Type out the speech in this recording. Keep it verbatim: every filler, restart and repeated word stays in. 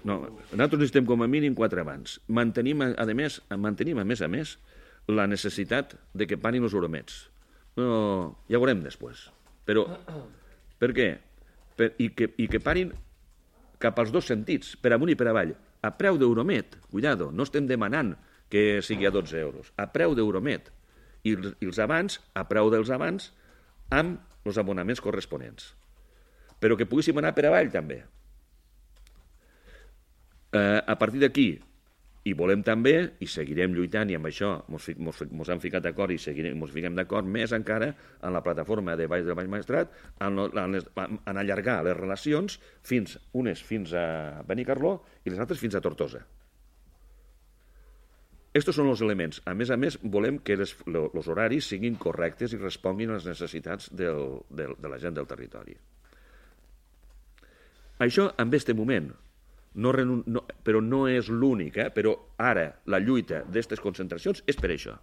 No, nosaltres necessitem com a mínim quatre abans. Mantenim, a més, mantenim, a més a més, la necessitat de que parin els euromets. No, ja ho veurem després. Però, per què? Per, i, que, I que parin cap als dos sentits, per amunt i per avall. A preu d'euromet, cuidado, no estem demanant que sigui a dotze euros. A preu d'euromet. I, I els abans, a preu dels abans, amb els abonaments corresponents. Però que poguéssim anar per avall, també. Eh, a partir d'aquí, i volem també, i seguirem lluitant, i amb això ens hem ficat d'acord i seguirem, ens fiquem d'acord més encara en la plataforma de Baix del Baix Maestrat, en, en, les, en allargar les relacions fins, unes fins a Benicarló i les altres fins a Tortosa. Estos són els elements. A més a més, volem que els horaris siguin correctes i responguin a les necessitats del, del, de la gent del territori. Això, en aquest moment, no, no, però no és l'únic, eh? Però ara la lluita d'aquestes concentracions és per això.